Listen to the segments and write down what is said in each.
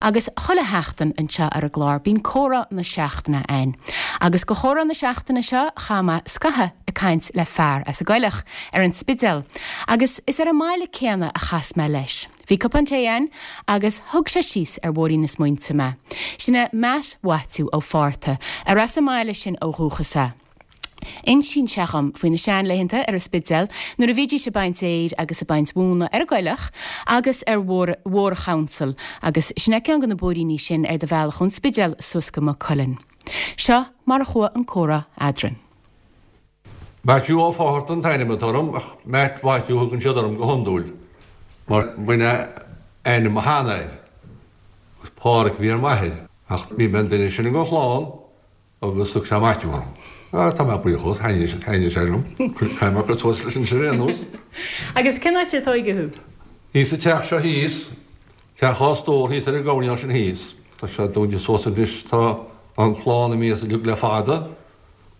Agus chuile sheachtain anseo ar an gclár bíonn comhrá na seachtaine a'inn. Agus go chomhrá na seachtaine seo chaith mé scaitheamh ag caint le fear as an gCoileach, ar an Spidéal, agus is ar an mbaile céanna a chas mé leis. Bhí cupán tae a'inn agus thug sé síos ar bhóithrín na smaointe mé. Sin é Matt Mhaitiú Ó Fátharta, ar as an mbaile sin ó dhúchas é. Insíonn sé dhom faoi na seanlaethanta ar an Spidéal nuair a bhídís ag baint fhéir agus ag baint mhóna ar an gCoileach agus ar Bhóthar an Chouncil agus sin é ceann de na bóithríní sin ar do bhealach ón Spidéal suas go Maigh Cuilinn. Seo mar a chuaigh an comhrá eadrainn. Maitiú Ó Fátharta an t-ainm atá orm ach Matt Mhaitiú a thugann siad orm go hiondúil mar b'in é ainm mo sheanathair agus Pádhraic a bhí ar m'athair ach bhí mé an duine is sine den chlann Agus thug sé Maitiú orm. Ah, tá mé buíoch dhó, thaitnigh sé liom. Caithfidh mé cur suas leis anois ar aon nós. Agus cén áit ar tóigeadh thú? Thíos sa teach seo thíos, teach dhá stór thíos ar an gcoirnéal sin thíos. Tá sé dúnta suas anois, tá an clann imithe as uilig le fada.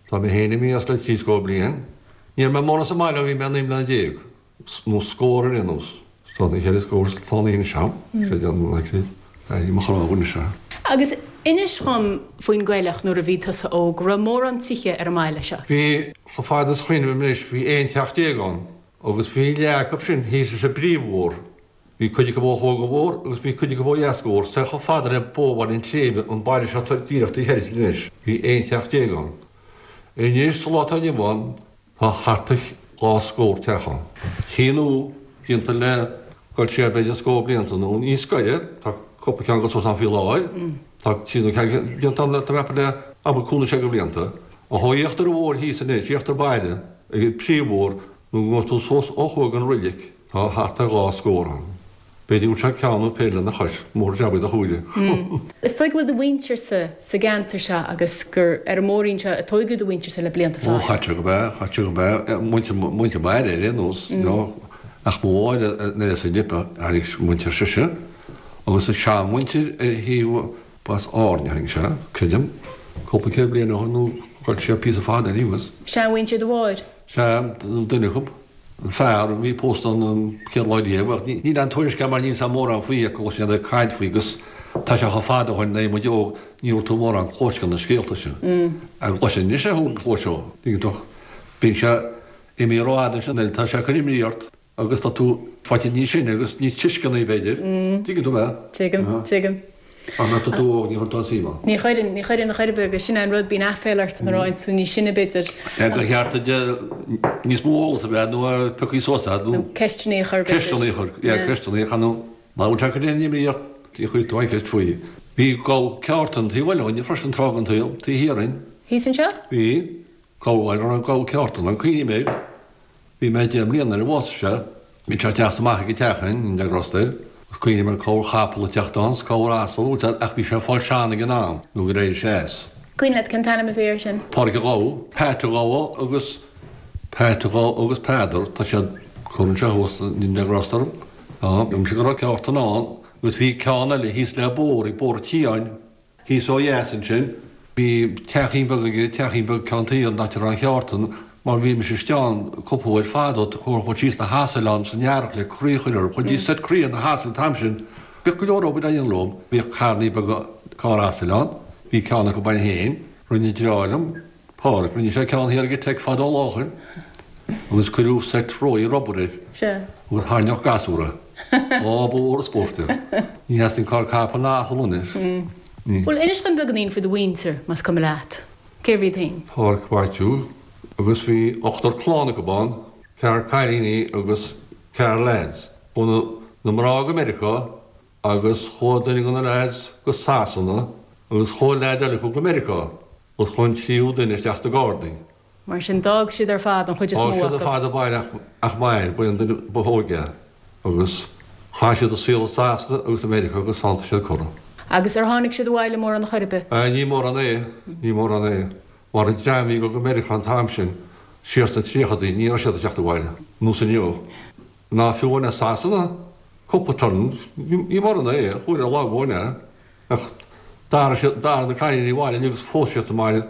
Tá mé féin imithe as le trí scór bliain. Ní raibh mé mórán sa mbaile ó bhí mé 19 mbliana. nó scór ar aon nós. Tá na cheithre scór slánaithe anois agam, sé déanamh an aici é mo chnámha anois. Agus inis dhom faoin gCoileach nuair a bhí tusa óg, raibh mórán tithe ar an mbaile seo? Bhí, chomh fada is a chuimhním anois, bhí 11 teach ann agus bhí leath acu sin thíos leis an bpríomhbhóthar. Bhí cuid acu ó thuaidh den bhóthar agus bhí cuid acu ó dheas den bhóthar, soir chomh fada le Bóthar Bhaile an tSléibhe, an baile seo atá díreach taobh thoir anois, bhí 11 teach ann. Anois sa lá atá inniu ann, Tá thart ar dhá scór teach ann. Tí nua déanta le dul siar b'fhéidir scór blianta nó níos gaire, tá cúpla ceann ag dul suas ann faoi láthair, tá tí nua déanta ann tá mé ag ceapadh le abair cúig nó sé de bhlianta. Ach ó íochtar an bhóthair thíos anois, íochtar baile, ag an príomhbhóthar, nó go ngabhfaidh tú suas ó thuaidh den roilig, tá thart ar dhá scór ann. B'fhéidir go bhfuil sé ceann nó péire lena chois, mór jab iad a chúile. Is dóigh go bhfuil do mhuintirse sa gceantar seo agus gur ar an mbóithrín seo a tóigeadh do mhuintirse le blianta fada. Ó, chaite go bea, chaite go bea, muintir, muintir m'athar ar aon nós, you know, ach mo mháthair nuair as an Lipe a tháinig muintir sise agus an seanmhuintir ar thaobh, b'as Árainn a tháinig sé, creidim, cúpla céad bliain ó shin nó ghoill sé píosa fada anuas. Seanmhuintir do mháthair? Sea, duine acu. An fear a bhí pósta an chéad lá riamh, ach níl aon tuairisc agam mar níl 's agam mórán faoi ach cloisim ag caint faoi agus tá sé chomh fada ó shin nuair a bhí muid óg ní raibh tú mórán cloiste na scéalta sin. Ach cloisim anois é thú cloiseadh, tuigeann tú, bíonn sé imithe rófhada ansin nuair atá sé ag cur imní ort agus tá tú faighte níos sine agus níos tuisceanaí b'fhéidir, tuigeann tú mé? Tuigim, tuigim. Ach nuair atá tú óg ní chuireann tú aon suim ann. Ní chuireann, ní chuireann chor ar bith agus sin é an rud, bíonn aiféala ort nuair a fhaigheann tú níos sine b'fhéidir. Ba cheart duit níos mó eolas a bheith nó piocadh suas agat nó. Nó ceisteanna a chur b'fhéidir. Ceisteanna a chur, yeah, ceisteanna a chur nó má bhfuil sé ag cur aon imní ort ní chuirfidh tú aon cheist faoi. Bhí gabha ceártan taobh amuigh againne freisin tráth den tsaol, taobh thiar dhínn. Thíos anseo? Bhí, gabha, gabha ceártan, an cuimhním air. Bhí mé 10 mbliana nuair a bhásaigh sé. Bhí sé ag teacht amach ag an teach againn, le rostair. Is cuimhin liom corr chapall ag teacht ann 's corr asal, bhfuil ach bhí sé ag fáil sean ag an am nó gur éirigh sé as. Cuimhin leat cén t-ainm a bhí air sin? Pádraig a' Ghabha, Pat a' Ghabha agus Pat a' Ghabha agus Peadar, tá siad curtha anseo thuas le rostair. Á, dúirt sé go raibh ceártan ann agus bhí ceann eile thíos le bóthar, ag Bóthar Tíáin. Thíos ó dheas ansin, bhí teachín beag aige, teachín beag ceann tuí an áit a raibh an cheártan, mar bhí mise istigh ann cúpla uair fadó, thabharfadh muid síos na hasail ann san earrach le croí a chur orthu, chuirtí seit croí ar na hasail an t-am sin. Bhíodh go leor obair á dhéanamh leo, bhíodh carnaí beaga carr asail ann, bhí ceann acu againn féin, rinne deartháir liom, Pádraig, rinne sé ceann thiar ag an Teic fadó lá ó shin agus cuireadh seit róí rubair air agus thairneodh gasúr é. Á, ba mhór an spórt é. Ní theastaíonn carr capall ná asal anois. Ní. Bhuel, inis dom beagáinín faoi do mhuintir, más cuma leat. Cérbh iad féin? Pádraig Mhaitiú, agus bhí ochtar clann acu ann, ceathrar cailíní agus ceathrar lads. Chuaigh na mná go Meiriceá agus chuaigh duine de na lads go Sasana agus chuaigh leaid eile acu go Meiriceá. Agus chuaigh an tríú duine isteach sna Gardaí. Mar sin, d'fhág siad ar fad, an chuid is mó acu. D'fhág siad ar fad an baile ach m'athair, ba é an duine ba óige é. Agus chaith siad a saol i Sasana agus i Meiriceá agus ann tá siad curtha. Agus ar tháinig siad abhaile mórán chor ar bith? Ní mórán é, ní mórán é. Mar an dream a bhí ag dul go Meiriceá an t-am sin, siar sna tríochadaí, ní raibh siad ag teacht abhaile, nós inniu. Ná fiú amháin as Sasana, cúpla turn, ní mórán é, chuaigh ar lá amháin é. Ach d'athraigh siad, d'athraigh na cailíní abhaile agus phós siad sa mbaile.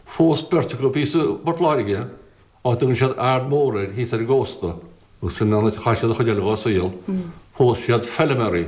Phós beirt acu thíos i bPort Láirge, áit a dtugann siad Ard Mór air, thíos ar an gcósta, agus sin an áit a chaith siad an chuid eile dhá saol. Phós siad feilméaraí.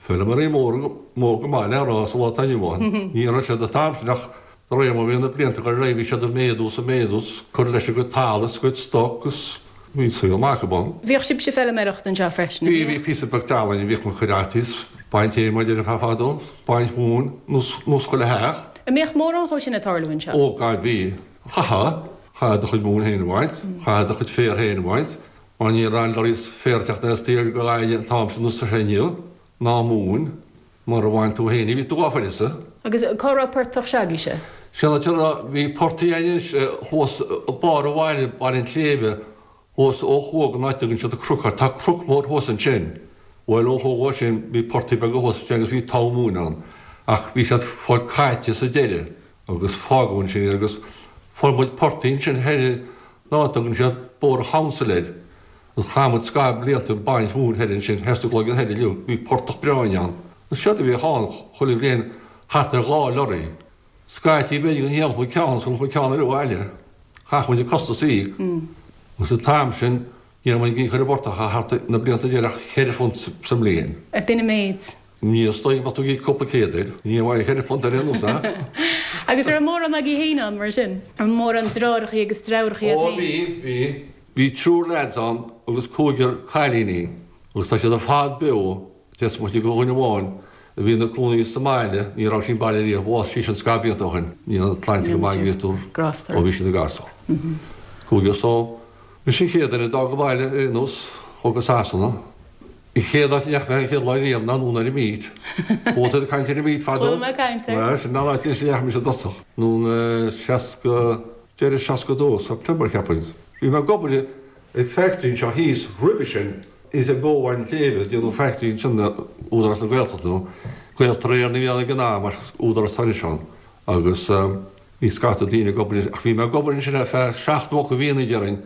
Feilméaraí móra, mór go maith le rá sa lá atá inniu ann. Ní raibh siad an t-am sin ach de réir mar a bhí na blianta ag dul ar aghaidh bhí siad ag méadú is ag méadú is ag cur leis a gcuid talamh is a gcuid stoc is bhí saol maith acu ann. Bhíodh sibhse ag feilméireacht anseo freisin, an Bhí, bhí píosa beag talaimh againn, bhíodh muid ag cur fhataí is baint adhmaid ar feadh fadó, baint mhóin nós chuile theach. An mbíodh mórán dhó sin ag tarlú anseo? Ó God bhí. Chaithfeá, chaithfeá do chuid móin féin a bhaint, chaithfeá do chuid féir féin a bhaint, Mar ní raibh aon lorry féir ag teacht as tír go Gaillimh an t-am sin nós tá sé inniu, ná móin, mura bhain tú féin í, bhí tú gafa uirthi. Agus cá raibh portach s'agaibhse? Sin áit a raibh, bhí portaigh againn anois thuas barr an bhaile, Baile an tSléibhe, thuas ó thuaidh den áit a dtugann siad an Croc air, tá cnoc mór thuas ansin, bhuel ó thuaidh dhó sin bhí portaigh beaga thuas ansin agus bhí togha móin ann, ach bhí siad fáil caite sa deireadh agus fágadh ansin iad agus fuair muid portaigh ansin thoir an áit a dtugann siad Bóthar an Chouncil air, agus chaith muid scaitheamh blianta ag baint mhóin thoir ansin, thoir sa gCloigeann Thoir inniu, bhí portach breá ann. Agus séard a bhíodh ann chuile bhliain thart ar dha lorry. Scaití b'fhéidir go ndíolfadh muid ceann agus thabharfadh muid ceann eile abhaile. Chaith muid an costas a íoc. Agus an t-am sin ní raibh muid ag íoc ar an bportach ach thart na blianta deireadh £4 sa mbliain. B'in an méid. Ní is dóigh go mbeadh tú ag íoc cúpla céad air. Ní bheadh £4 ar aon nós, a? Agus raibh mórán agaibh féin ann, mar sin? Raibh mórán deartháireachaí agus deirfiúrachaí agat féin? Ó bhí, bhí. Bhí triúr leaids ann agus cúigear cailíní agus tá siad ar fad beo, is moite de dhuine amháin a bhí ina cónaí sa mbaile, ní raibh sí sa mbaile riamh, bhásaigh sí sin scaitheamh blianta ó shin, ní raibh an tsláinte go maith ag ó bhí sí ina gasúr. Cúigear so, mise an chéad duine a d'fhág an baile ar aon nós, chuaigh go Sasana. An chéad áit a ndeachaigh mé an chéad lá riamh ná anonn ar an Meet. Chuala tú ag caint ar an Meet fadó? Chuala mé ag caint air. Bhuel, sin an áit a ndeachaigh mise i dtosach. Anonn i 60, deireadh 62, September cheapfainn. Bhí mé ag obair ag factory anseo thíos roimhe sin, thíos ag Bóthar an tSléibhe, ag déanamh factory ansin le Údarás na Gaeltachta nó Gaeltarra Éireann a bhí ann ag an am ach Údarás atá anois ann. Agus bhí scata daoine ag obair ach bhí mé ag obair ansin ar feadh seacht nó ocht mhíonna déarfainn.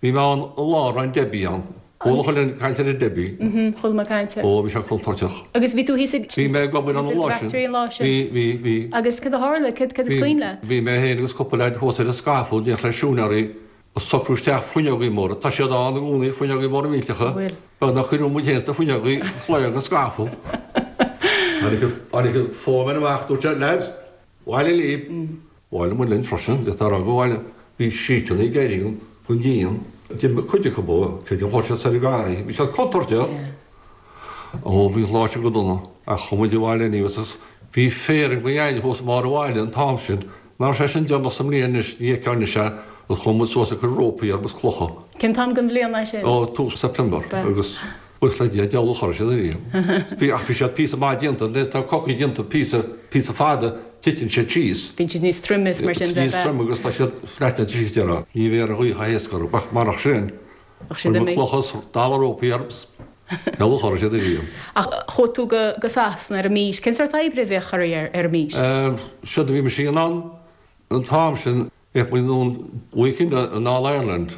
Bhí mé ann an lá a raibh an Debbie ann. Chuala chuile dhuine ag caint ar an Debbie. Mhm, chuala mé ag caint air. Ó, bhí sé contúirteach. Agus bhí tú thíos ag. Bhí mé ag obair ann an lá sin. Factory an lá sin. Bhí, bhí, bhí. Agus cad a tharla? Cad, cad is cuimhin leat? Bhí mé féin agus cúpla leaid thuas ar an scaffold in éineacht le siúinéirí ag socrú isteach fuinneogaí móra. Tá siad ann i gcónaí, fuinneogaí móra millteacha. Bhfuil. Beag nár cuireadh muid féin sna fuinneogaí shlaog an scaffold. Tháinig an, tháinig an foreman amach, dúirt sé, lads, abhaile libh. Abhaile muid linn freisin, d'fhéadfá a rá go abhaile. Bhí síteanna ag éirí den díon. D'imigh cuid acu, creidim chuaigh siad soir an garraí. Bhí siad contúirteach. Ó, bhí an lá sin go dona. Ach chuaigh muid abhaile aníos agus bhí féar ag mo dhaid thuas i mbarr an bhaile an t-am sin. Ná raibh sé sin deireanach sa mbliain anois, ní fheicfeá anois é, agus chuaigh muid suas ag cur rópaí air agus clocha. Cén t-am den bhliain é sin? Ó, tús September. Agus. Buíochas le Dia, deabhal a chorraigh siad ariamh. Bhí, ach bhí siad píosa maith déanta, nuair atá cocaí déanta píosa, píosa fada, titeann siad síos. Bíonn siad níos troime is mar sin de. Níos troime agus tá siad flattened síos, déarfá. Ní bheadh an ghaoth chomh héasca orthu, ach marach sin, Ach siad chuir muid imithe. clocha is dalladh rópaí orthu is deabhal a chorraigh siad ariamh. Ach chuaigh tú go, go Sasana ar an Meet. Cén sórt oibre a bhíodh oraibh ar, ar an Meet? Séard a bhí mise a dhéanamh ann an t-am sin, Bhíodh muid anonn weekend in All Ireland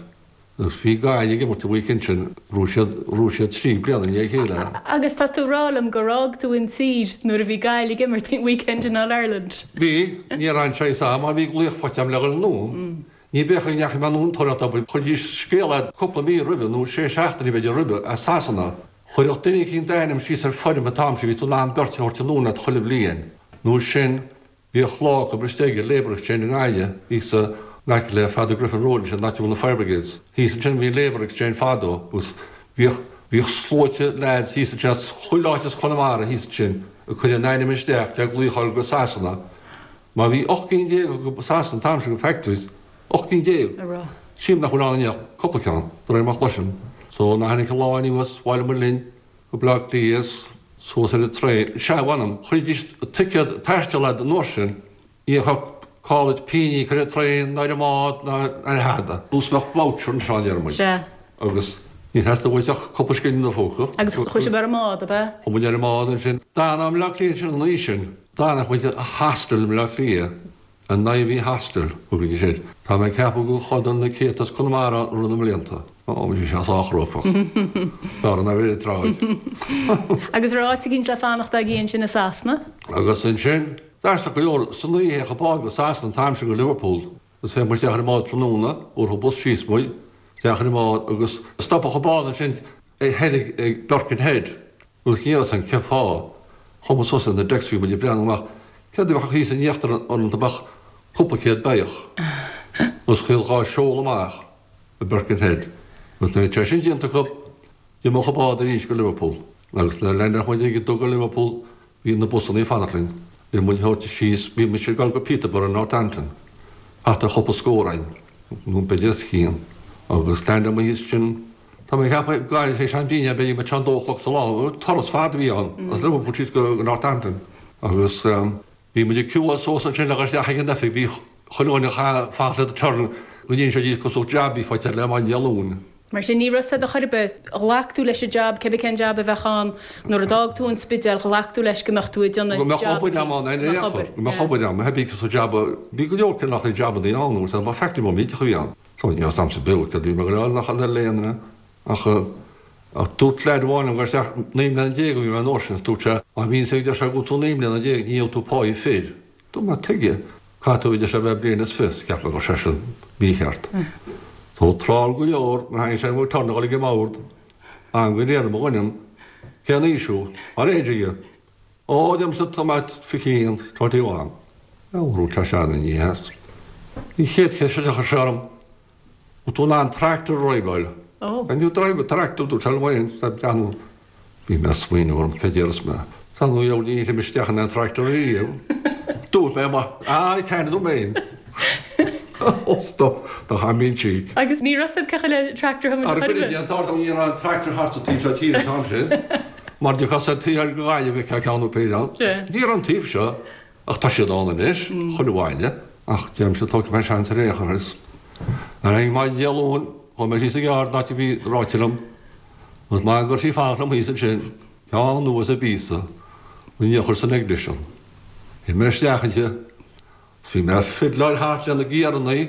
agus bhí Gaillimh ag imirt an weekend sin, bhuaigh siad, bhuaigh siad 3 bliana i ndiaidh a chéile. Agus tá tú rá liom gur fhág tú an tír nuair a bhí Gaillimh ag imirt weekend in All Ireland? Bhí, ní raibh aon choice agam mar bhí glaoch faighte agam le dhul anonn. Ní bheadh go ndeachaigh mé anonn tóraíocht obair, chuiridís scéal a'd cúpla mí roimhe nó sé seachtainí b'fhéidir roimhe as Sasana. Chuirfeadh duine eicínt d'ainm síos ar foirm an t-am sin, bhí tú in ann beirt a thabhairt anonn leat chuile bhliain nó sin Bhíodh lá acu istigh i Labour Exchange i nGaillimh, thíos in aice le Father Griffin Road ansin, an áit a bhfuil na Fire Brigades. Thíos ansin bhí an Labour Exchange fadó agus bhíodh, bhíodh sluaite leaids thíos ansin as chuile áit as Conamara thíos ansin ag cur a n-ainm isteach le glaoch a fháil go Sasana. Mar bhí 18 gcinn go Sasana an t-am sin go factories, 18 gcinn. Sílim nach bhfuil ann inniu ach cúpla ceann, de réir mar a chloisim. So nuair a tháinig an lá aníos, bhailigh muid linn go Baile Átha Cliath, suas ar an traein. Sea, mh'anam, chuiridís ticéad taistil a'd an uair sin, ní bheadh call duit pingin a íoc ar an traein ná ar an mbád ná ar thada. Nós bheadh voucher anseo a deir muid. Sea. Agus níor theastaigh uait ach cúpla scilling i do phóca. Agus chuaigh sibh ar an mbád, ab ea? Chuaigh muid ar an mbád ansin. D'fhan i mBleá Cliath ansin an oíche sin. D'fhanadh muid i hostel i mBleá Cliath. An Ivy Hostel, thugaidís air. Tá mé ag ceapadh gur chodail na céadta as Conamara ann i rith na mblianta. Ó, bhí sé sách cruógach. B'fhearr ná bheith ar an tsráid. Agus raibh áit eicínt le fanacht agaibh ansin i Sasana? Agus ansin, d'aisteach go leor, san oíche théadh an bád go Sasana an t-am sin go Liverpool. Agus théadh muid isteach ar an mbád tráthnóna, thabharfadh bus síos muid, isteach ar an mbád agus stopadh an bád ansin thoir ag Birkenhead. Agus ní raibh a fhios againn cén fáth. Chuaigh muid suas ar na decks bhí muid ag breathnú amach céard a bheadh thíos in íochtar an bheadh cúpla céad beithíoch agus chuaigh dhá seoladh amach i Birkenhead agus nuair a bhí sé sin déanta acu d'imeodh an bád arís go Liverpool agus nuair a leaindeáil muid ag duga Liverpool bhí na busannaí ag fanacht linn le muid a thabhairt síos bhí mise ag dul go Peterborough Northampton thart ar chúpla scór againn nó b'fhéidir os cionn agus leaindeáil muid thíos ansin Tá mé ag ceapadh go gcaillfidh sé an dínn b'fhéidir go mbeadh sé an dó a chlog sa lá. Turas fada a bhí ann, as Liverpool síos go Northampton. Agus bhí muid ag ciúáil suas ansin le dhul isteach ag an oifig, bhí chuile dhuine ag fanacht le turn go n-inseoidís cosúil jab a bhí faighte le maidin Dé Luain. Mar sin, ní raibh a fhios agat chor ar bith, ghlac tú leis an jab, cébí cén jab a bheadh ann, nuair a d'fhág tú an Spidéal, ghlac tú leis go mbeadh tú ag déanamh Go mbeadh jab obair agam ann, go mbeadh obair, go mbeadh obair agam, bhí cosúil jab, bhí go leor cineálacha jabannaí ann, agus ba factory mór millteach a bhí ann. Tá ní raibh agamsa beo céard a bhí mé ag dul a fháil nach ar léan ina ach ach dúirt leaid amháin liom go raibh isteach 19 mbliana a bhí mé an uair sin dúirt sé má bhíonn sé deir sé go bhfuil tú 19 mbliana ní gheobhaidh tú páí fir. Dúirt mé tuige? Caithfidh tú a deir sé a bheith bliain is fiche cheap mé go raibh sé sin mícheart. So tráth go leor nuair a tháinig sé mo turn a dhul ag an mbord am go léir mo dhuine cén aois thú? What age are you? Ó, deirimse tá mé 21, 21. Dúirt sé sea ní hea. An chéad cheist a chuir sé orm, bhfuil tú in ann tractor a dhriveáil? Can you drive a tractor? Dúirt sé liom féin, is ag breathnú. Bhí mé ag smaoineamh orm, cad déarfas mé? Tá nó dheabhail ní raibh mé isteach in aon tractor riamh. Dúirt mé, ah, I can, a dúirt mé féin. Ó, stop, do chaith mé an cheek. Agus ní raibh a fhios agat cé chomh le tractor a thiomáint chor ar bith. Ar an ní raibh an tractor thart sa taobh seo tíre an t-am sin. Mar d'fhéachfá sa taobh thoir de Ghaillimh bheifeá ceann nó péire ann. Ní raibh an taobh seo, ach tá siad ann anois, chuile bhaile. Ach deirimse tógfaidh mé seans ar aon chor is. Ar aghaidh maidin Dé Luain, chuaigh mé síos an yard an áit a bhí ráite liom. Agus m'anam go raibh sí ag fanacht liom thíos ansin, ceann nua is an píosa, an eochair san ignition. Shuigh mé isteach inti. Bhí mé ag fiddleáil thart le na giarannaí,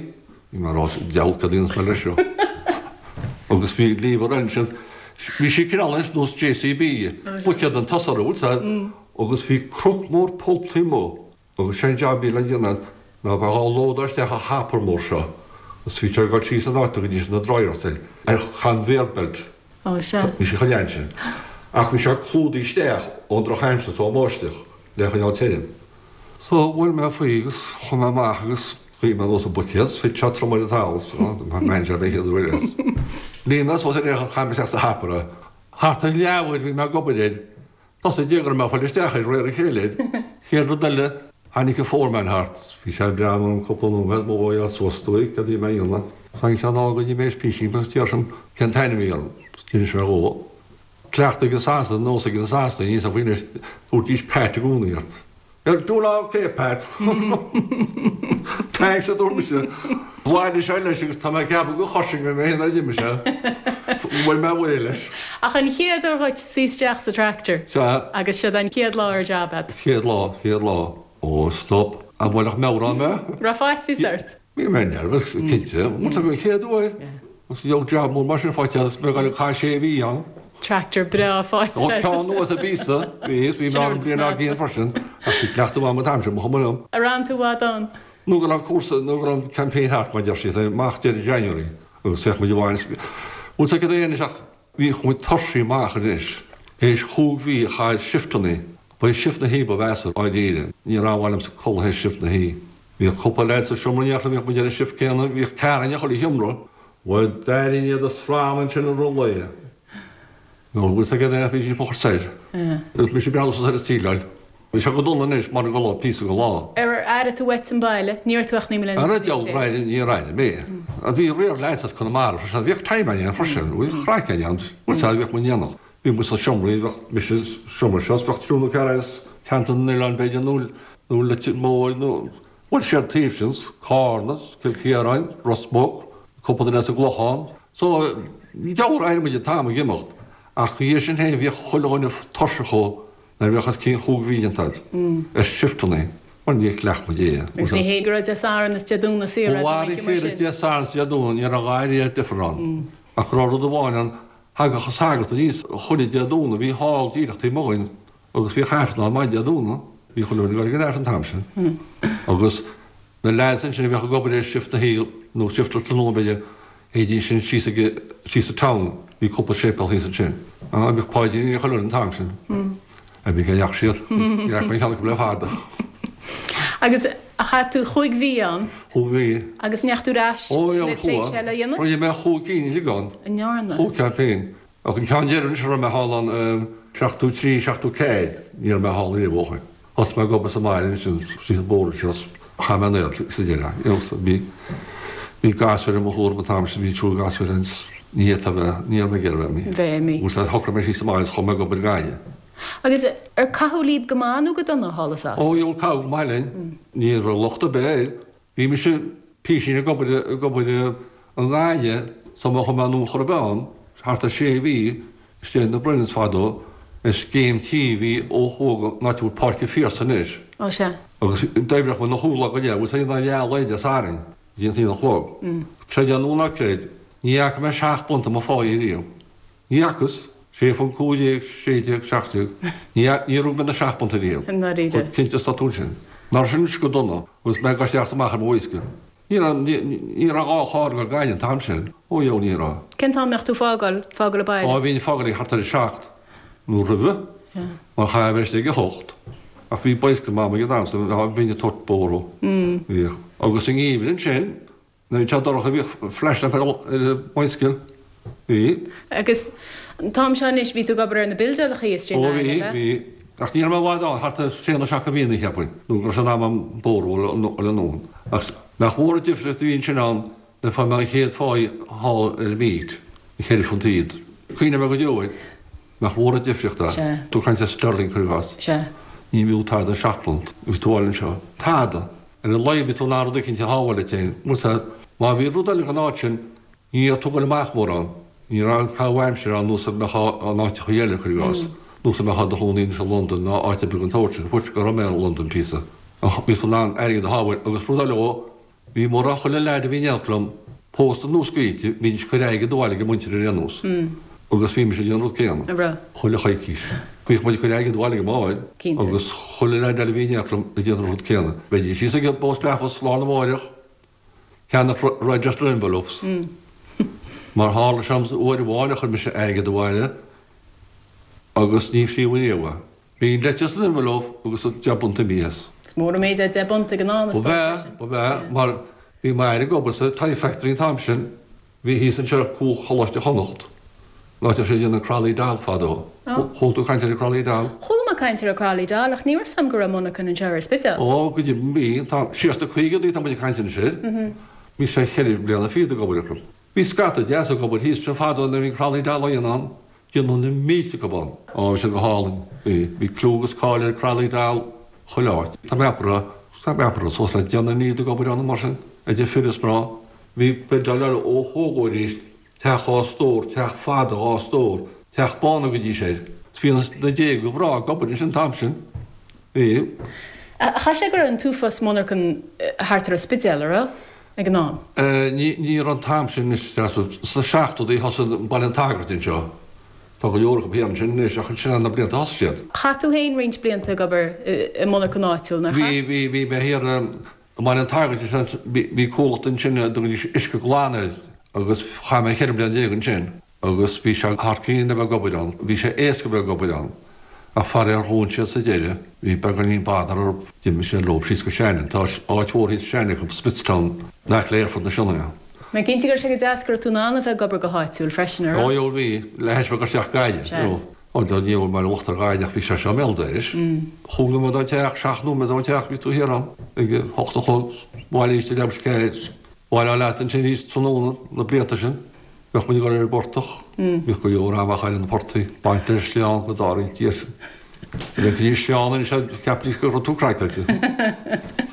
bhí mé ag rá deabhal cad a dhéanfas mé leis seo. Agus bhí lever ansin, bhí sí cineál ar nós JCB, buicéad an tosach orthu, bhfuil 's a'd, agus bhí croc mór pulp taobh amuigh agus sé an jab a bhí le déanamh ná bheith á lódáil isteach sa hopper mór seo agus bhí sé ag dul síos an áit go dtí na dryers ar conveyor belt. Ó, sea. Bhí sé chomh leathan sin. Ach bhí sé clúdaithe isteach ón drochaimsir is ón mbáisteach le choinneáil tirim. So, bhuail mé faoi agus chuaigh mé amach agus ghuigh mé anuas an buicéad, thit sé trom ar an talamh, manager den chéad uair is. Líon mé suas ar aon chaith mé isteach sa hopper é. Thart ar leathuair bhí mé ag obair air, thosaigh dé go raibh mé ag fáil isteach air réir a chéile air. Chéad rud eile, tháinig an foreman thart, bhí sé ag breathnú orm cúpla nóiméad, mo dhóigh suas dúigh, cad a bhí mé a dhéanamh. Tháinig sé anall go dtí mé is písín agus d'iarr sé cén t-ainm a bhí orm. D'inis mé dhó. Cleachtadh ag na Sasanaigh, nós ag na Sasanaigh, níl 's agam faoi anois, thabharfaidís Pat i gcónaí ort. You're doing ok, Pat. Thanks, a dúirt mise. Bhailigh sé leis agus tá mé ag ceapadh gur choising mé mé féin nuair a d'imigh sé. Bhuail mé away leis. Ach an chéad uair dhuit suí isteach sa tractor. Sea. Agus siod an chéad lá ar job a'd. Chéad lá, chéad lá. Ó, stop. An bhfuil meabhrán mé? Raibh faitíos ort? Bhí mé nervous, cinnte. Bhuel, an chéad uair. Agus bheadh jab mór mar sin faighte agus mé ag dul ag caitheamh sé mhí ann. Tractor breá faighte. Ó, ceann nua is an píosa. Bhí, bhí mé ann bliain dár gcionn freisin. Ach bhí cleachtadh agam an t-am sin, ba chuma liom. Ar fhan tú i bhfad ann? Nó go raibh an cúrsa, nó go raibh an campaign thart, mar a deir siad, amach deireadh January agus bheadh muid abhaile. Bhuel, tá cad é anois ach bhíodh muid tuirseach amach anois. Théis chúig mhí a chaitheamh shifteannaí. Ba é shift na hoíche ba mheasa, dáiríre. Ní raibh mhaith liomsa codladh théis shift na hoíche. Bhíodh cúpla leaid sa seomra in éineacht liom, bhíodh muid ar an shift céanna, bhíodh ceathrar in chuile sheomra. Bhuel, d'airínn iad ag srannadh ansin i rith an lae. Nó bhfuil 's agat é, bhí siad ag soir. Agus mise ag breathnú suas ar an tsíleáil. Bhí sé go dona anois mar go raibh píosa go lá. Ar airigh tú uait an baile? Ní raibh tú ach 19 mbliana. Ar deabhal aire, níor airigh mé. Bhí riar leaids as Conamara freisin, bhíodh time againn freisin, bhíodh craic againn, bhfuil 's agat, bhíodh muid in éineacht. Bhí muid sna seomraí, bheadh mise sa seomra seo, bheadh triúr nó ceathrar as Ceantar na nOileán b'fhéidir nó nó Leitir Móir nó bhuel siar taobh sin, Carna, Cill Chiaráin, Ros Muc, cúpla duine as an gClochán. So, deabhal ar airigh muid an t-am ag imeacht ach dhiaidh sin féin bhíodh chuile dhuine tuirseach chomh nuair a bheadh os cionn chúig mhí déanta agat ar shifteannaí mar níor chleacht muid é. Agus ní hé go raibh Dé Sathairn is Dé Domhnaigh saor agat an oíche mar sin. Dé Sathairn is Dé Domhnaigh ní raibh a dhath ariamh difear ann ach go raibh rud amháin ann Thagadh an sagart aníos chuile Dé Domhnaigh, bhí hall díreach taobh amuigh dhúinn agus bhíodh Aifreann ann maidin Dé Domhnaigh, bhí chuile dhuine ag dul ag an Aifreann an t-am sin. Agus na leaids ansin a bhíodh ag obair ar shift na hoíche, nó shift an tráthnóna b'fhéidir, théidís sin síos ag, síos sa town, bhí cúpla séipéal thíos ansin. Bhíodh paidríní ag chuile dhuine an t-am sin. Bhí cá ndeachaigh siad. Ní fhaca mé ceann acu le fada. Agus chaith tú chúig mhí ann? Chúig mhí. Agus ndeachaigh tú ar ais le tréimhse eile a dhéanamh? Rinne mé chúig cinn uilig ann. An ndearna? Chúig ceann féin. Ach an ceann deireanach a raibh mé thall ann, 73, 74, ní raibh mé thall riamh ó shin. Thosaigh mé ag obair sa mbaile ansin, síos an bóthar anseo, chaith mé an oíche sa deireadh. You know, so bhí, bhí gasúir i mo chúram an t-am sin, bhí triúr gasúir ann, ní fhéadfá bheith, ní raibh mé ag iarraidh bheith imithe. Bheith imithe. Agus shocraigh mé síos sa mbaile is chuaigh mé ag obair gainne. Agus ar caitheadh libh go maith nó go dona thall i Sasana? Ó, dheabhail, caitheadh go maith linn. Ní raibh locht ar bith air. Bhí mise písín ag obair ag obair i nGaillimh sula mbeadh mé anonn chor ar bith ann, thart ar sé mhí, istigh na Brennans fadó, ar scéim tí a bhí ó thuaidh an áit a bhfuil Páirc an Phiarsaigh anois. Ó sea. Agus d'oibreodh muid na chúig lá go leith, bhfuil a fhios ag leath lae Dé Sathairn go dtí an t-aon a chlog. Creid é nó ná creid, ní fhaca mé seacht bpunt i mo pháighe riamh. Ní fhacas. Sé phunt 15, 16, 17. Ní, níor rug mé na seacht bpunt ariamh. I ndáiríre. Chomh cinnte is atá tú ansin. Nach raibh sin anois go dona, agus mé ag dul isteach is amach ar mo bhoisce. Ní raibh, ní, ní raibh dhá charr ag dul Gaillimh an t-am sin. Ó dheabhail ní raibh. Cén t-am a mbeadh tú fágáil, fágáil an baile? Ó, bhínn ag fágáil ag thart ar a seacht, nó roimhe, mar chaithfeá a bheith istigh ag a hocht. Ach bhí bicycle ag Mam ag an am so bhínn ag tabhairt bóthar dó. Bhíodh. Agus sa ngeimhreadh ansin, Nuair a bhí sé dorcha bhíodh flashlamp ar an mbicycle. Bhí. Agus an t-am seo anois bhí tú ag obair ar na buildeálachaí istigh i nGaillimh, ab ea? Ó bhí, bhí. Ach ní raibh mé i bhfad ann, thart ar sé nó seacht de mhíonna cheapfainn, nó go raibh sé in am a'm bóthar a fháil anonn. Ach nach mór an difríocht a bhí ansin ann nuair a fuair mé an chéad pháighe thall ar an meat, an cheithre phunt fhichead. Cuimhneoidh mé go deo air. Nach mór an difríocht é. Sea. Tú ag caint ar sterling cuir i gcás. Sea. Ní bhfiú tada seacht bpunt. Bhí tú abhaile anseo. Tada. Ar a laghad bhí tú in ann rud eicínt a shábháil duit féin. Bhuel sea, má bhí rud eile den áit sin, ní raibh tú ag goil amach mórán. Ní raibh caitheamh aimsire ann nós a mbeifeá in áiteachaí eile, cuir i gcás. Nós a mbeifeá i do chónaí anois i Londain ná áit ar bith den tsórt sin. Fuair go raibh mé i Londain píosa. Ach bhí tú in ann airgead a shábháil agus rud eile dhó, Bhí mórán chuile leaid a bhí in éineacht liom pósta nó scaoilte, bhídís ag cur airgead abhaile ag a muintir ar aon nós. Agus bhí mise ag déanamh an rud céanna. An raibh? Chuile choicís. Bhíodh muid ag cur airgead abhaile ag a máthair. Cinnte. Agus chuile leaid eile a bhí in éineacht liom ag déanamh an rud céanna. Bheidís thíos ag an bPost Office lá arna mháireach, ceannach registered envelopes. Mar tharla sé uair amháin a chuir mise airgead abhaile agus ní phríomh riamh é. Bhí an leitir san envelope agus an deich bpunt imithe as. Is mór an méid é deich bpunt ag an am, is dócha, freisin. Ba ea, ba ea, mar bhí m'athair ag obair sa Tie Factory an t-am sin, bhí thíos anseo cúl Choláiste Chonnacht, an áit a raibh siad ag déanamh Crolly Doll fadó. Chuala tú caint ar an Crolly Doll? Chuala mé caint ar an Crolly Doll ach ní raibh 's a'm go raibh monarchan anseo ar an Spidéal. Ó, go deimhin bhí, an t-am, siar sna caogaidí tá muid ag caint anois air. Bhí sé cheithre bliana fichead ag obair acu. Bhí scata deas ag obair thíos ansin fadó nuair a bhí an Crolly Doll á dhéanamh ann. Déanadh na mílte acu ann. Ó, bhí sé go hálainn. Bhí. Bhí clú agus cáil ar Crolly Doll chuile áit. Tá mé ag ceapadh, tá mé ag ceapadh suas le deichniúr ag obair ann mar sin, idir fir is mná. Bhí buildeáil eile ó thuaidh arís, teach dhá stór, teach fada dhá stór, teach bán a thugaidís air. Is bhí na déaga breá ag obair ansin an t-am sin. Bhí. Chaithfeadh sé go raibh an t-uafás monarchan thart ar an Spidéal, a raibh? ag an am? Ní raibh an t-am sin anois, sna seachtóidí thosaigh Baile an tSagairt anseo. Tá go leor acu thiar ansin anois ach ansin na blianta a thosaigh siad. Chaith tú féin roinnt blianta ag obair i monarchan áitiúil, nár chaith? Bhí, bhí, bhí mé thiar i mBaile an tSagairt ansin, bhí comhlacht ansin a dtugaidís Uisce Glan air agus chaith mé cheithre bliana déag ansin. Agus bhí sé thar cionn a bheith ag obair ann. Bhí sé éasca a bheith ag obair ann. Ach faraor dhún siad sa deireadh. Bhí beagáinín bother orthu. D'imigh siad leo síos go Shannon. Tá áit mhór thíos i Shannon acu, Smithstown, in aice le aerfort na Sionainne. Mé cinnte go raibh sé go deas go raibh tú in ann a bheith ag obair go háitiúil freisin, a raibh? Ó dheabhail bhí. Le hais bheith ag isteach Gaillimh. Sea. You know. Ó ní raibh mé locht ar Ghaillimh ach bhí sé seo i mbéal dorais. Chúig nóiméad ón teach, seacht nóiméad ón teach bhí tú thiar ann ag a hocht a chlog. Abhaile arís ag leathuair tar éis a ceathair. Abhaile leat ansin arís tráthnóna na blianta sin. Bheadh muid ag dul ar an bportach. Bhíodh go leor ama á chaitheamh ar na portaigh, ag baint na sleán go dtarraingt iar. Dá bhfeicfidís sleán anois cheapfaidís go raibh tú craiceáilte.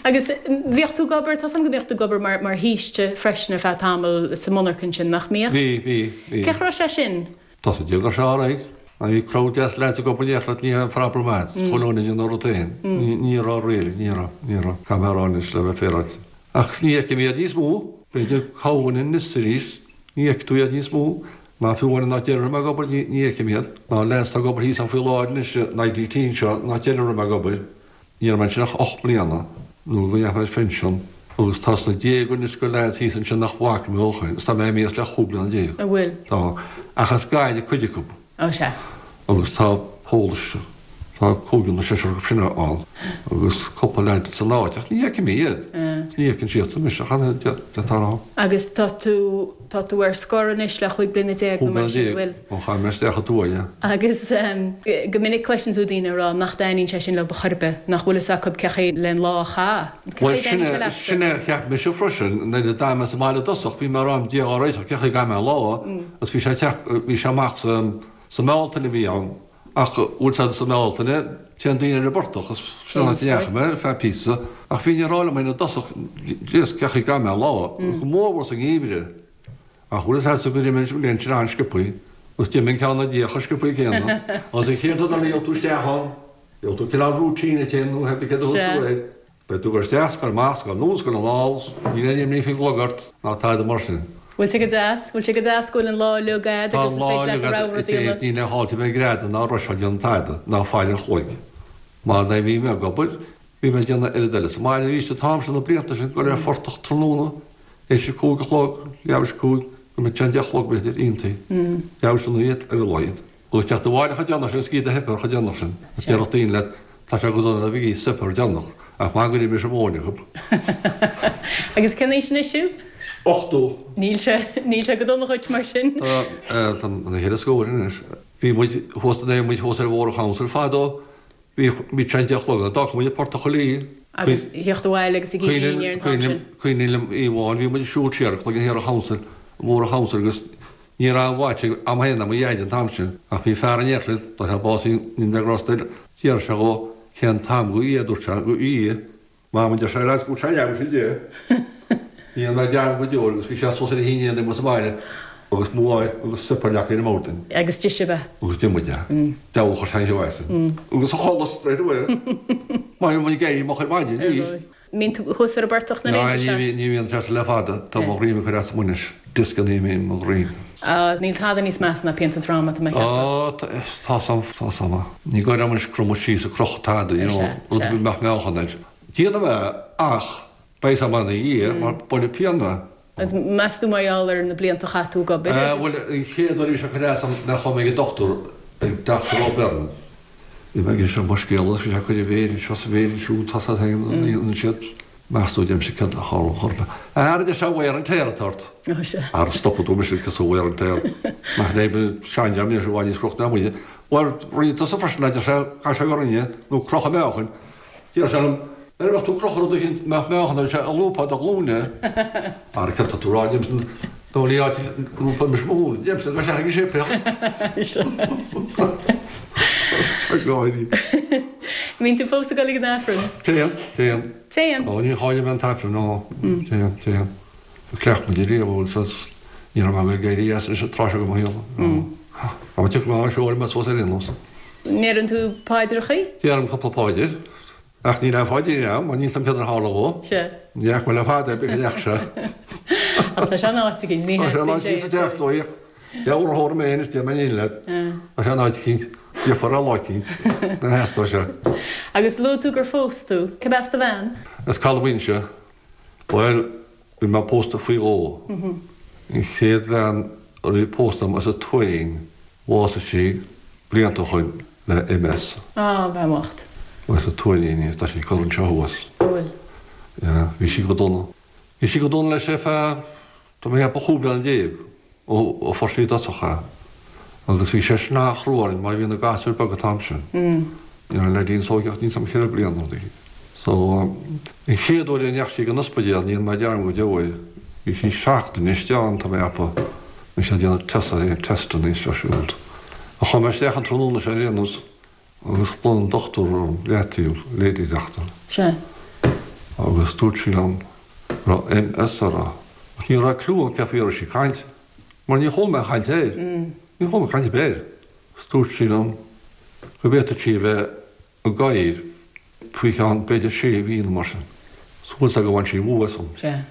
Agus bhíodh tú ag obair, tá 's agam go mbíodh tú ag obair mar mar shaoiste freisin ar feadh tamaill sa monarcha ansin, nach mbíodh? Bhí, bhí, bhí. Cén chaoi a raibh sé sin? Tá sa déag ar seo alright. Bhí crowd deas lads ag obair in éineacht leat, ní raibh aon problem agat, chuile dhuine ag déanamh a rud féin. Ní raibh really, ní raibh, ní raibh. Caithfidh mé a rá anois le bheith féaráilte. Ach ní fheicim iad níos mó. B'fhéidir corrdhuine anois is arís, ní fheicfidh tú iad níos mó. Ná fiú amháin an áit deireadh a raibh mé ag obair, ní fheicim iad. Ná lads atá ag obair thíos ann faoi láthair anois, in IDT anseo, an áit deireadh a raibh mé ag obair. Ní raibh mé ansin ach ocht mbliana, nó go ndeachaigh mé ar phension, agus tá sna déaga anois de lads thíos ansin nach bhfaca mé ó shin, is tá mé imithe as le chúig bliana déag. An bhfuil? Tá. Ach as Gaillimh cuid acu. Ó sea. Agus tá Polish. Tá cúigear nó seisear acu sin ann agus cúpla leaid san áit ach ní fheicim iad. Ní fheiceann siadsan mise ach an oiread tá ann. Agus tá tú, tá tú ar scor anois le chúig bliana déag nó mar sin, bhfuil? Ó chaith mé isteach an tuaithe. Agus go minic cloiseann tú daoine ag rá nach dtaitníonn sé sin leo ar chor ar bith, nach bhfuil fhios acu cén chaoi len lá a chaitheamh. Cén chaoi a dtaitníonn sé leatsa? Sin é a cheap mise freisin nuair a d'fhan mé sa mbaile i dtosach bhí mé ag rá Dia ár réiteach cén chaoi a gcaithfidh mé an lá agus bhí sé ag teacht, bhí sé amach sa, sa mBealtaine a bhí ann. Ach bhfuil fhios a'd sa mBealtaine, téann daoine ar an bportach, is sin an áit a ndeachaigh mé ar feadh píosa, ach bhínn ag rá liom féin i dtosach, Jeez, cén chaoi a gcaithfidh mé an lá, go mórmhór sa ngeimhreadh. Ach bhfuil fhios a'dsa gur imigh an bhliain sin an-sciobthaí, agus d'imigh an ceann ina diaidh chomh sciobthaí céanna, agus an chéad rud eile gheobhaidh tú isteach ann, gheobhaidh tú cineál routine ort féin nó cibé céard a thugas tú air. Beidh tú ag dul isteach, 's ag dul amach, 's ag dul anonn, 's ag dul anall, 's níl aon imní faoin gclog ort, ná tada mar sin. Bhfuil sé go deas? Bhfuil sé go deas go bhfuil an lá uilig a'd Tá agus an is lá féidir leat uilig do a'd rogha a rud a dhéanamh? Níl aon fháilte bheith ag greadadh ná rusháil déanamh tada, ná faire an chloig. Mar nuair a bhí mé ag obair, bhí mé ag déanamh oiread eile sa mbaile arís an t-am sin, na blianta sin, dul ar an phortach tráthnóna, théis a cúig a chlog, leathuair théis a cúig, go mbeadh sé an deich a chlog b'fhéidir, iontaí, leathuair théis a naoi ar a laghad. Agus teacht abhaile chomh déanach sin is go dtí do shuipéar chomh déanach sin. Is déarfadh daoine leat, tá sé go dona a bheith ag ithe suipéar déanach, ach maith go raibh mise móin acu. Agus cén aois anois thú? 80. Níl sé, níl sé go dona dhuit mar sin. Tá, tá na cheithre scór anois. Bhí muid thuas, nuair a bhí muid thuas ar Bhóthar an Chonsail fadó, bhí, bhí sé an deich a chlog, d'fhágfadh muid an portach uilig. Agus theacht abhaile agus ag ithe dinnéar an t-am sin. Cuimhin liom oíche amháin, bhí muid ag siúl siar ag cloigeann thiar an Chonsail, an Bhóthar an Chonsail agus Ní raibh aon watch a'm féin ná mo dhaid an t-am sin, ach bhí fear in éineacht linn, tá sé básaithe i nDé Grásta air, d'iarr sé dhó cén t-am go é, dúirt sé, go í, Mam, a deir sé, lads, go bhfuil sé leathuair tar éis a deich. Ní dhéanfaidh mé dearmad go deo air agus bhí sé suas ar a shín aon sa bhaile agus mo mháthair agus suipéar leagtha ar an mbord dúinn. Agus d'ith sibh é. Agus d'ith muid é. Deabhal a chuir sé an cheo as. Agus a chodladh straight away. Mar bhí muid ag éirí moch ar maidin arís. Mbíonn tú thuas ar an bportach na laethanta seo? Ní bhíonn sé le fada. Tá mo dhroim ag cur as dom anois. Dioscanna i mo dhroim. Á, níl tada níos measa ná pianta droma, tá mé ag ceapadh. Á, tá 's a'm, tá 's a'm. Ní gar dom anois cromadh síos ag crochadh tada, you know, rud a mbeadh meáchan air. Déanaim é ach beidh 's a'm ina dhiaidh mar buailfidh pian mé. Agus meas tú mar gheall ar na blianta a chaith tú ag obair agus. Bhuel, an chéad uair a bhí sé ag cur as dom nuair a chuaigh mé ag an dochtúir, ag Dochtúir O'Byrne. Bhí mé ag inse mo scéal agus bhí sé ag cur a mhéir anseo is a mhéir ansiúd, tá siad féin an siad. Meas tú deirimse céard a tharla chor ar bith. A deir sé wear and tear atá ort. Ó sea. Ara stopfaidh tú mise cosúil wear and tear. Nach léim seandream níl sé i bhfad níos crochta ná muide. Bhuel, rinne tusa freisin a deir sé, chaith sé go rinne, nó crochadh meáchain. Deir sé liom, Nuair a bheadh tú ag crochadh rud eicínt mbeadh meáchan air, sé a lúbfá do ghlúine. Ara céard tá tú a rá, deirimse, nó ní áit a lúbfá mise mo ghlúine, deirimse, gabh isteach ag an séipéal. Tá gáirí. Mbíonn tú fós ag dul ag an Aifreann? Téann, téann. Téann? Ó, ní chailleann mé an tAifreann, ó, téann, téann. Chleacht muid ariamh, bhuel, saghas, ní raibh mé ag éirí as leis an tráth seo de mo shaol. Á, tiocfaidh mé ann, seolfaidh mé suas ar aon nós. Ndeireann tú paidreachaí? Deirim cúpla páidir, ach níl aon pháidrín a'm, mar níl 's a'm céard a tharla dhó. Sea. Ní fhaca mé le fada é, b'fhéidir go ndeachaigh sé. Ach tá sé in áit éigin, ní Tá sé in áit éigin sa teach, dóigh. Deabhal a thabharfaidh mé anois, déarfaidh mé in leat. Tá sé in áit eicínt, gheofar é lá eicínt, nuair a theastóidh sé. Agus luaigh tú gur phós tú. Cé as do bhean? As Caladh Mhuinnse. Bhuel, bhí mé pósta faoi dhó. An chéad bhean a bhí pósta agam as an Tuairín, Bhásaigh sí blianta ó shoin le MS. Á, bean bhocht. As an Tuairín í, tá sí curtha anseo thuas. An bhfuil? Yeah, bhí sí go dona. Bhí sí go dona leis ar feadh, tá mé ag ceapadh 15 bliana ó ó fuair sí i dtosach é. Agus bhí sé sin an-chrua orainn mar bhí na gasúir beag an t-am sin. Ní raibh an leaidín is óige ach níl 's a'm cheithre bliana nó rud éigin. So, an chéad uair a ndeachaigh sí ag an ospidéal, ní dhéanfaidh mé dearmad go deo air, bhí sí seachtain istigh ann, tá mé ag ceapadh, bhí siad ag déanamh test, testanna istigh siúd. Ach chuaigh mé isteach an tráthnóna sin ar aon nós agus ghlaoigh an dochtúir orm, leataobh, lady doctor. Sea. Agus dúirt sí liom go raibh MS uirthi. Ach ní raibh clue agam cén faoi a raibh sí ag caint, mar ní chuala mé aon chaint air. Ní chuala mé caint ar bith air. Agus dúirt sí liom go bhféadfadh sí a bheith i gcathaoir faoi cheann b'fhéidir sé mhí nó mar sin. So bhfuil 's agat bhain sí bua asam. Sea.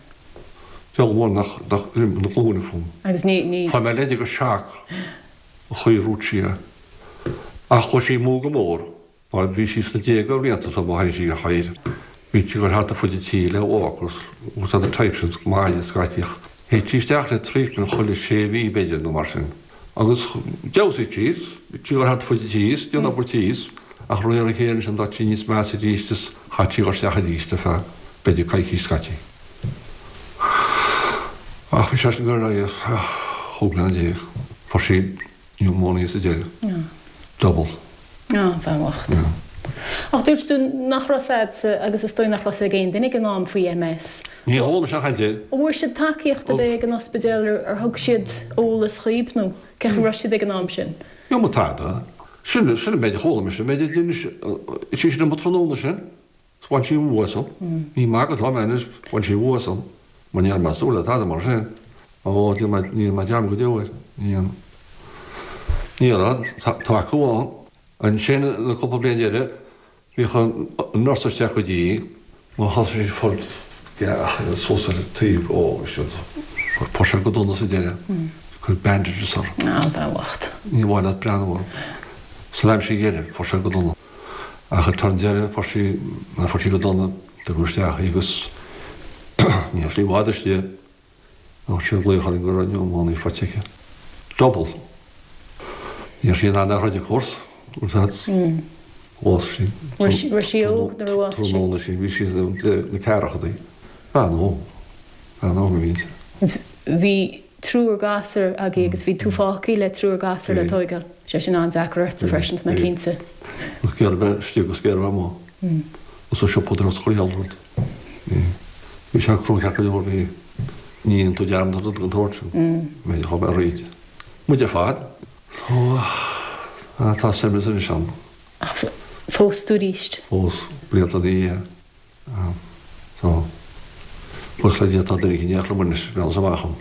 Deabhal mór nach nach raibh na glúine fúm. Agus ní, ní. Fuair mé leid agus shock an chaoi a ndúirt sí é. Ach chuaigh sí amú go mór mar bhí sí sna déaga blianta so má tháinig sí ar chathaoir bhí sí ag dul thart ar fud an tí le walkers agus other types sin maille scaití ach théadh sí isteach le treatment chuile sé mhí b'fhéidir nó mar sin. Agus d'fheabhsaigh sí, bhí sí ag dul thart ar fud an tí is déanamh obair tí is. Ach de réir a chéile ansin d'éirigh sí níos measa arís is chaith sí a dhul isteach arís ar feadh b'fhéidir coicís scaití. Ach bhí sé sin ag dul ar aghaidh ar feadh chúig bliana déag. Fuair sí pneumonia sa deireadh. Double. Á, bhean bhocht. Ach dúirt tú nach raibh a fhios a'dsa agus is dóigh nach raibh a fhios ag aon duine ag an am faoi MS. Ní chuala mise aon chaint air. An bhfuair siad tacaíocht ar bith ag an ospidéal, ar thug siad eolas dhaoib nó cén chaoi a raibh siad ag an am sin? Níor tada. Sin, sin an méid a chuala mise, an méid a d'inis sí liom an tráthnóna sin. Is bhain sí an bhua asam. Ní magadh atá mé anois, bhain sí an bhua asam. Mar ní raibh mé ag súil le tada mar sin. Ó, ní dhéanfaidh mé dearmad go deo air. Ní dhéanfaidh. Ní raibh tacú ann. Ansin, le cúpla bliain deiridh, bhíodh an nurse isteach go dtí í. Má thosaigh sí ag fáil gach aon suas ar an taobh, ó, bhí siad, fuair sé go dona sa deireadh. Cuireadh bandages uirthi. Á, bhean bhocht. Ní mhaith leat breathnú orthu. San aimsir dheiridh, fuair sé go dona. Ach ag an deireadh, fuair sí, fuair sí go dona, tugadh isteach í agus ní raibh sí i bhfad istigh. Ach sé glaoch orainn go raibh pneumonia faighte aici. Double. Ní raibh sí in ann é a throid of course. Bhásaigh sí. Raibh sí óg nuair a bhásaigh sí? Tráthnóna sin, bhí sí sna ceathrachaidí. Bean óg. Bean óg a bhí inti. Bhí triúr gasúr agaibh agus bhí tú fágtha le triúr gasúr le tóigeáil. Sé sin an-deacair ortsa freisin, tá mé cinnte. Ag iarraidh bheith istigh agus ag iarraidh bheith amuigh. Agus an siopadóireacht is chuile rud. Bhí sé crua ceart go leor, bhí. Ní dhéanann tú dearmad ar rud den tsórt sin. B'fhéidir chomh maith arís. Muid ar fad. Tá, tá saibhreas anois ann. Ach phós tú arís? Phós, blianta ina dhiaidh. So, buíochas le Dia tá duine éicint in éineacht liom anois, breathnaíos amach ann.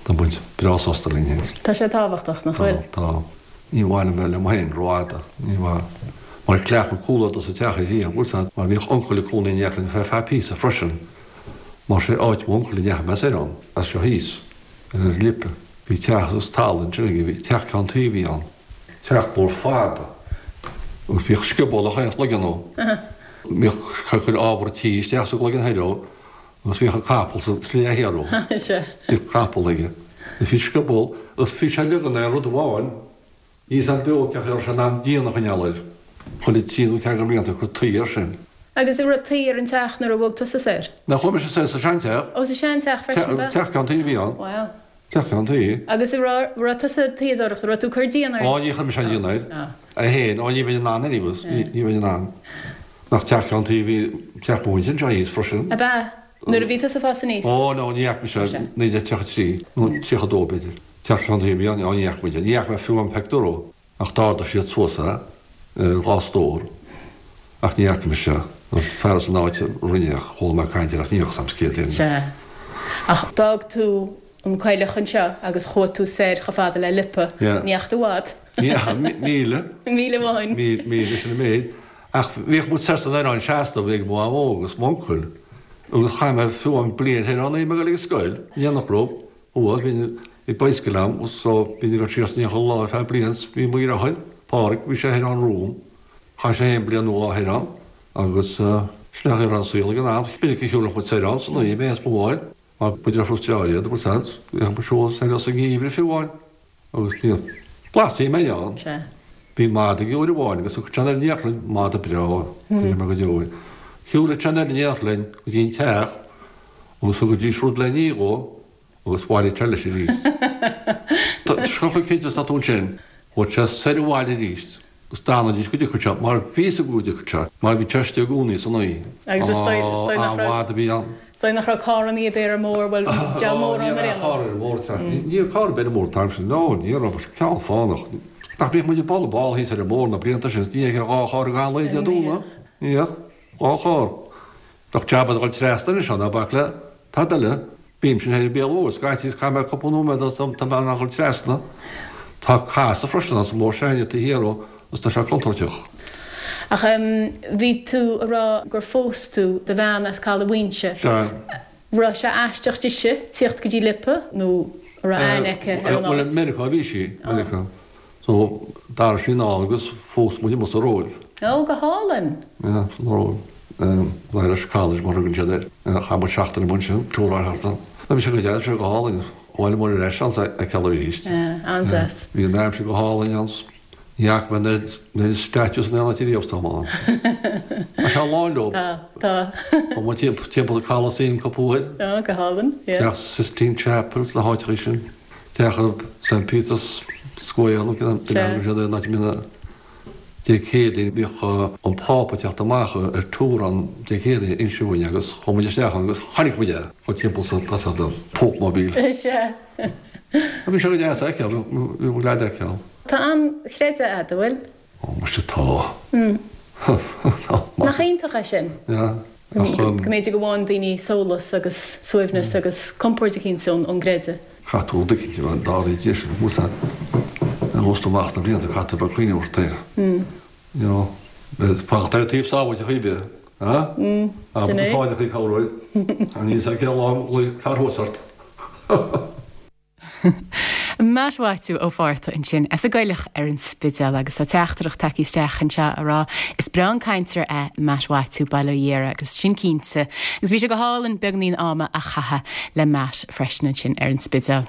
Tá muid breá sásta linn féin. Tá sé tábhachtach, nach bhfuil? Tá, tá. Ní mhaith liom bheith liom féin rófhada. Ní mhaith. Mar chleacht muid cúlódar sa teach ariamh, bhfuil 's a'd, mar bhíodh uncail ag cónaí in éineacht linn ar feadh píosa freisin. Mar sé áit m'uncail a ndeachaigh mé soir ann, as seo thíos, ar an Lipe. Bhí teach agus talamh ansin aige, bhí teach ceann tuí a bhí ann. Teach mór fada. Agus bhíodh scioból ag aon chloigeann ann. Bhíodh ag cur ábhar tí isteach sa gcloigeann thoir ann agus bhíodh an capall sa slí thiar ann. Bhíodh capall aige. Agus bhí scioból agus bhí sé leagan ar rud amháin. Níl 's a'm beo cén chaoi a raibh sé in ann díon a choinneáil air. Chuile trí nó ceathair de bhlianta ag cur tuí air sin. Agus an raibh tuí ar an teach nuair a bhog tusa soir? Nach bhfuil mise soir sa seanteach. Ó sa seanteach freisin ab ea? Teach ceann tuí a bhí ann. Wow. Teach ceann tuí. Agus an raibh, raibh tusa ag tuíodóireacht, an raibh tú ag cur díon air? Ó ní chuir mise an díon air. É féin, ó ní bheinn in ann anyways, ní bheinn in ann. Nach teach ceann tuí a bhí, teach mo mhuintir anseo thíos freisin. Ab ea? Nuair a bhí tusa ag fás aníos? Ó no, ní fhaca mise, 1933, nó 32 b'fhéidir. Teach ceann tuí a bhí ann, ó ní fhaca muid é, ní fhaca mé fiú an pictiúr ó. Ach d'ardaigh siad suas é ar dhá stór ach ní fhaca mise an fear as an áit a rinne é ach chuala mé caint air ach ní fhios a'm céard é. Sea. Ach d'fhág tú an coileach anseo agus chuaigh tú soir chomh fada le Lipa. Yeah. Ní dheachaigh tú i bhfad. Ní dheachaigh, míle. Míle amháin. Míle, sin an méid. Ach bhíodh muid soir san oileán seasta, bhí ag mo mhamó agus m'uncail agus chaith mé fiú amháin bliain thoir ann, bhí mé ag dul ag an scoil, in éineacht leo. Thuas, bhí bhí bicycle a'm so bhínn ag dul siar is aniar chuile lá ar feadh bliain 's bhí mo dheartháir, Pádhraic, bhí sé thoir ann romham. Chaith sé féin bliain nó dhá thoir ann agus sin é an chaoi a raibh an saol ag an am. B'mhinic a shiúlfadh muid soir ann san oíche, mé is mo mháthair, mar b'fhéidir ar frustrá iad, bhfuil 's a'd, bhíodh muid siúl soir sa ngeimhreadh fiú amháin agus ní blas mé ann. Sea. Bhí mada aige uair amháin agus thug sé in éineacht linn, mada breá, cuimhním air go deo é. Shiúladh sé in éineacht linn go dtí an teach agus thugaidís rud le n-ithe dhó agus bhailigh sé leis arís. Chomh cinnte is atá tú ansin, chuaigh sé soir abhaile arís agus d'fhanaidís go dtiocfadh sé, mar bhí fhios acu go dtiocfadh sé, mar bhí sé istigh i gcónaí san oíche. Agus is dóigh, is dóigh nach raibh, An-mhada a bhí ann. is dóigh nach raibh carrannaí ar bith ar an mbóthar, bhuel, deabhal mórán ar aon nós. Ní raibh carr ar an mbóthar, tá, ní raibh carr ar bith ar an mbóthar an t-am sin, no, ní raibh, ceann fánach. Nach mbíodh muid ag bualadh ball thíos ar an mbóthar na blianta sin, ní fheicfeá dhá charr gach aon lae Dé Domhnaigh, ní bheadh, dhá charr. Bheadh jab ag dul trasna anois ann, ná bac le tada eile. Bímse thoir ag Béal Mhóir, scaití is caithfidh mé cúpla nóiméad as am tá mé in ann dul trasna. Tá casadh freisin ann sa mbóthar s'againne taobh thiar dhó agus tá sé contúirteach. Ach bhí tú a rá gur phós tú do bhean as Caladh Mhaínse. Sea. Raibh sé aisteach dise tíocht go dtí Lipa nó an raibh aithne aici ar an áit? Bhuel, i Meiriceá a bhí sí, Meiriceá. So, d'athair sí anall agus phós muid amuigh sa Róimh. Ó, go hálainn! Yeah, san Róimh. Irish College mar a thugann siad air. Chaith muid seachtain amuigh ansin, tóráil thart ann. Bhí sé go deas, bhí sé go hálainn. Bhuail muid ar ais ann sa fheiceáil arís. Yeah, an-deas. Bhí an aimsir go hálainn ann. Ní fhaca mé an oiread statues in aon áit ariamh is atá ann. Tá sé lán leo. Tá, tá. Tá muid timpeall an Colosseum cúpla uair. Á, go hálainn, yeah. Teach Sistine Chapel sna háiteacha sin. Teach St Peter's Square nó cén ainm siad é, an áit a mbíonn Dé Céadaoin bhíodh an Pápa ag teacht amach ar tour ann Dé Céadaoin inse uainn agus chuaigh muid isteach ann agus chonaic muid é chomh timpeall sa tá the Pope Mobile. Sea. Bhí sé go deas a fheiceáil, bhí mo leaid a fheiceáil. Tá an-chreideamh a'd, an bhfuil? Ó, muise tá. Tá. Nach iontach é sin? Yeah. Go mb'fhéidir go bhfaigheann daoine sólas agus suaimhneas agus compord eicínt ón gcreideamh. Caithfidh tú rud eicínt a bheith dáiríre deis a bhfuil a fhios amach sna blianta, caithfidh tú bheith ag cuimhneamh ort é. You know, fanacht ar an taobh sábháilte chaoi bith, ah? Sin é. Abair fáinne chaoi cabhróidh. Níl a fhios cén lá a ghlaofaidh fear thuas ort. Matt Mhaitiú Ó Fátharta ansin as an gCoileach ar an Spidéal agus tá teachtaireacht tagtha isteach anseo a rá is breá an cainteoir é Matt Mhaitiú, bail ó Dhia air agus sin cinnte agus bhí sé go hálainn beagnín ama a chaitheamh le Matt freisin ansin ar an Spidéal.